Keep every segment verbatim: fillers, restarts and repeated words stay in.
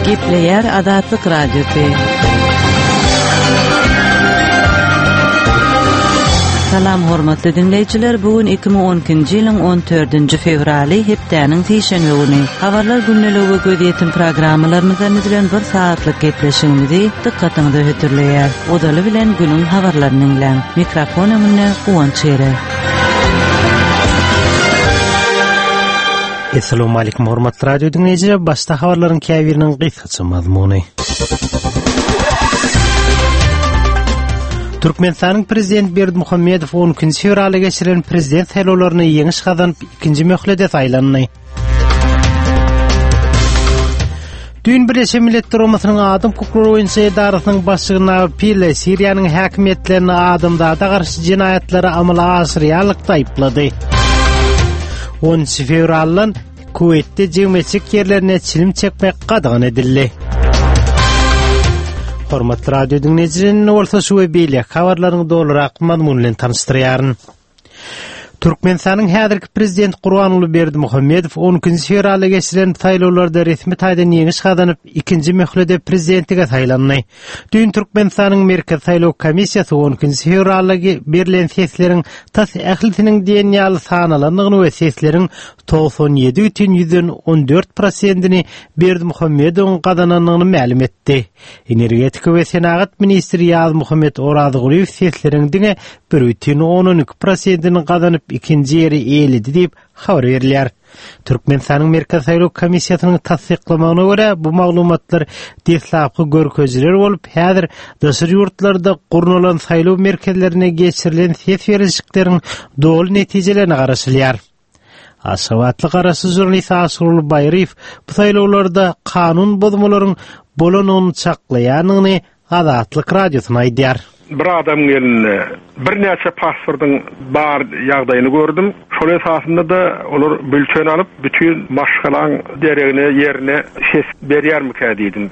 Gepleýär Azatlyk Radiosy. Salam hormatly diňleýjiler, bu gün iki müň on ikinji ýylyň on dördünji fewraly, hepdäniň sişenbe güni. Habarlar gündeligi we gözýetim programmalarymyzdan düzülen bir saatlyk gepleşigimizi dykgatyňyza hödürleýär. Ozaly bilen günüň habarlaryny diňläň. Mikrofon öňünde Guwanç Ere. Esselamu aleýkum hormatly radio diňleýjiler, başda habarlaryň käbiriniň gysgaça mazmuny. Türkmenistanyň Prezident Berdimuhamedow on ikinji fewralda geçirilen prezident saýlawlaryny ýeňiş gazanyp, ikinji möhlete saýlandy. Düýn Birleşen Milletler Guramasynyň Adam hukuklary boýunça edarasynyň başlygy Nabi Pille Siriýanyň häkimiýetlerini adamzada garşy jenaýatlary amala aşyrýanlykda aýyplady. Onunjy fewraldan Kuweýtde jemgyýetçilik ýerlerinde çilim çekmek gadagan edildi. Hormatly radio diňleýjiler, indi bolsa şu we beýleki habarlaryň dolurak mazmuny bilen tanyşdyrýaryn. Türkmenistanyň häzirki prezidenti Gurbanguly Berdimuhamedow on ikinji fewralda geçirilen saýlawlarda resmi taýdan ýeňiş gazanyp, ikinji möhlede prezidentlige saýlandy. Düýn Türkmenistanyň Merkezi saýlaw komissiýasy on ikinji fewralda berlen sesleriň tas ählisiniň diýen ýaly sanalandygyny we sesleriň togsan ýedi bütin ýüzden on dört prosentini Berdimuhamedowyň gazanandygyny mälim etdi. Energetika we senagat ministri Ýazmuhammet Orazgulyýew sesleriň diňe bir bütin ondan iki prosentini gazanyp ikinji ýeri eýeledi diýip habar berilýär. Türkmenistanyň Merkezi saýlaw komissiýasynyň tassyklamagyna görä, bu maglumatlar deslapky görkezijiler bolup, häzir daşary ýurtlarda gurnalan saýlaw merkezlerine geçirilen ses berişlikleriň doly netijelerine garaşylýar. Aşgabatly garaşsyz žurnalist Aşyrguly Baýryýew bu saýlawlarda kanun bozmalaryň bolanyny çaklaýanyny Azatlyk radiosyna aýdýar. Bir adam gelende birnäçe pasportyň bar ýagdaýyny gördüm. Şol esasynda da olar bülten alyp bütün maşgalaň deregine ýerine ses berýärmikä diýdim.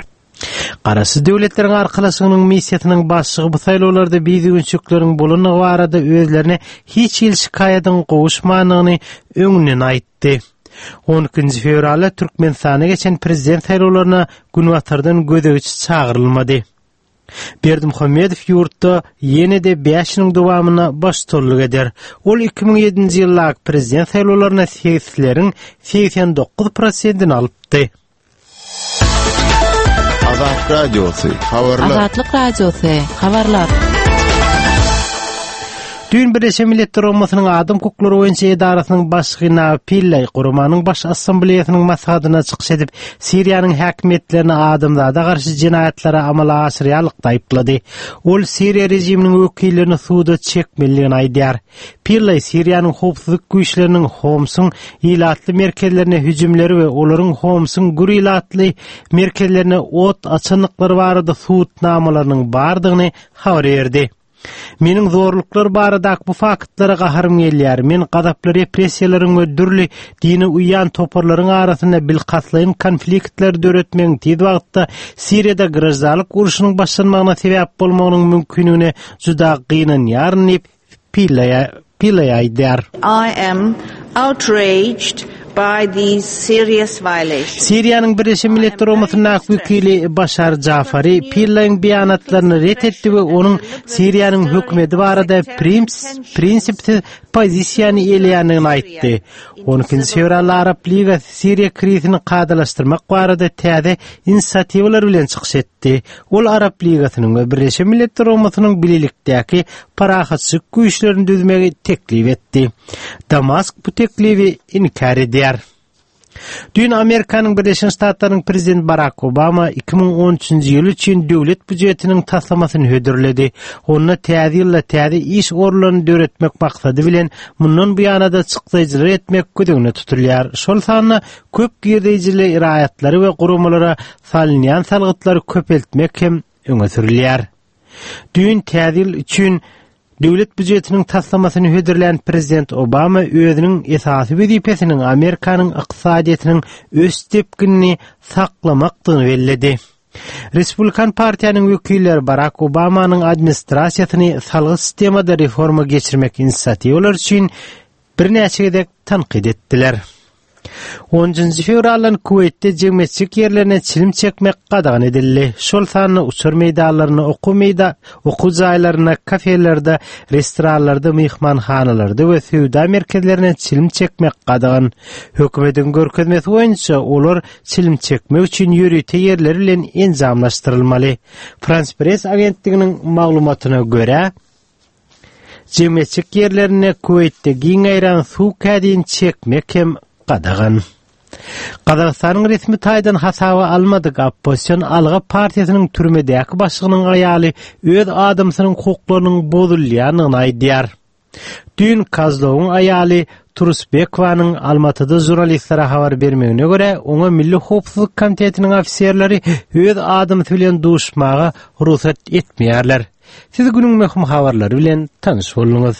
Garaşsyz Döwletleriň Arkalaşygynyň missiýasynyň başlygy bu saýlawlarda bizügünçilikleriň bolandygy barada özlerine hiç hili şikaýadyň gowuşmandygyny öňünden aýtdy. on ikinji fewralda Türkmenistana geçen prezident saýlawlaryna günbatardan gözegçi çagyrylmady. Berdimuhamedow ýurtda ýene-de bäş ýylyň dowamynda baştutanlyk eder. Ol iki müň ýedinji ýyldaky prezident saýlawlaryna sesleriň segsen dokuz prosentini alypdy. Azat Radiosy, habarlar. Azatlyk Radiosy, habarlar. Düýn Birleşen Milletler Guramasynyň Adam hukuklary boýunça edarasynyň başlygy Nabi Pillay guramanyň baş assambleýasynyň maslahatyna çykyş edip, Siriýanyň häkimiýetlerini adamzada garşy jenaýatlary amala aşyrýanlykda aýyplady. Ol Siriýa režiminiň wekillerini suda çekmelidigini aýdýar. Pillay Siriýanyň howpsuzlyk güýçleriniň Homsuň ilatly merkezlerine hüjümleri we olaryň Homsuň gür ilatly merkezlerine ot açandyklary barada subutnamalarynyň bardygyny habar berdi. Meniň zorluklar baradaky bu faktlara gaharym gelýär. Men gazaply repressiýalaryň we dürli dine uýan toparlaryň arasynda bilkastlaýyn konfliktleri döretmegiň tiz wagtda Siriýada graždanlyk urşunyň başlanmagyna sebäp bolmagynyň mümkinligine juda gynanýaryn diýip Pillay, Pillay aýdýar. I am outraged by these serious violations. Siriýanyň Birleşen Milletler Guramasyndaky wekili Başar Jafari Pillaýyň beýanatlaryny ret etdi we onuň Siriýanyň hökümeti barada prinsipsiz pozisiýany eýeleýändigini aýtdy. On ikinji fewralda Arap Ligasy Siriýa krizini kadalaşdyrmak barada täze inisiatiwalar bilen çykyş etdi. Ol Arap Ligasynyň we Birleşen Milletler Guramasynyň bilelikdäki parahatçylyk güýçlerini düzmegi teklip etdi. Damask bu teklibi inkär edýär. Düýn Amerikanyň Birleşen Ştatlarynyň prezidenti Barack Obama iki müň on üçünji ýyl üçin döwlet býujetiniň taslamasyny hödürledi. Onda täze ýylda täze iş orunlaryny döretmek maksady bilen mundan bu ýana-da çykdaýjylar etmek göz öňünde tutulýar. Şol sanda köp girdeýjili raýatlary we guramalara salynýan salgytlary köpeltmek hem öňe sürülýär. Düýn täze ýyl üçin döwlet býujetiniň taslamasyny hödürlän prezident Obama özüniň esasy wezipesiniň Amerikanyň ykdysadyýetiniň ösüş depginini saklamakdygyny belledi. Respublikan partiýanyň wekilleri Barack Obamanyň administrasiýasyny salgyt sistemada reforma geçirmek inisiatiwalary üçin birnäçe gezek tankyt etdiler. Onunjy fewraldan Kuweýtde jemgyýetçilik ýerlerine çilim çekmek gadagan edildi. Şol sanda uçar meýdanlarynda, okuw meýda, okuw jaýlarynda, kafelerde, restoranlarda, myhmanhanalarda we söwda merkezlerine çilim çekmek gadagan. Hökümetiň görkezmesi boýunça olar çilim çekmek üçin ýörite ýerler bilen enjamlaşdyrylmaly. Frans Press agentliginiň maglumatyna görä, jemgyýetçilik ýerlerinde Kuweýtde giň ýaýran suw kädini çekmek hem gadagan. Gazagystanyň resmi taýdan hasaba almadyk oppozision Alga partiýasynyň türmedäki başlygynyň aýaly öz adamsynyň hukuklarynyň bozulýandygyny aýdýar. Düýn Kazlowyň aýaly Turusbekowanyň Almatyda žurnalistlere habar bermegine görä, oňa Milli howpsuzlyk komitetiniň ofiserleri öz adamsy bilen duşmaga rugsat etmeýärler. Siz günüň möhüm habarlary bilen tanyş bolduňyz.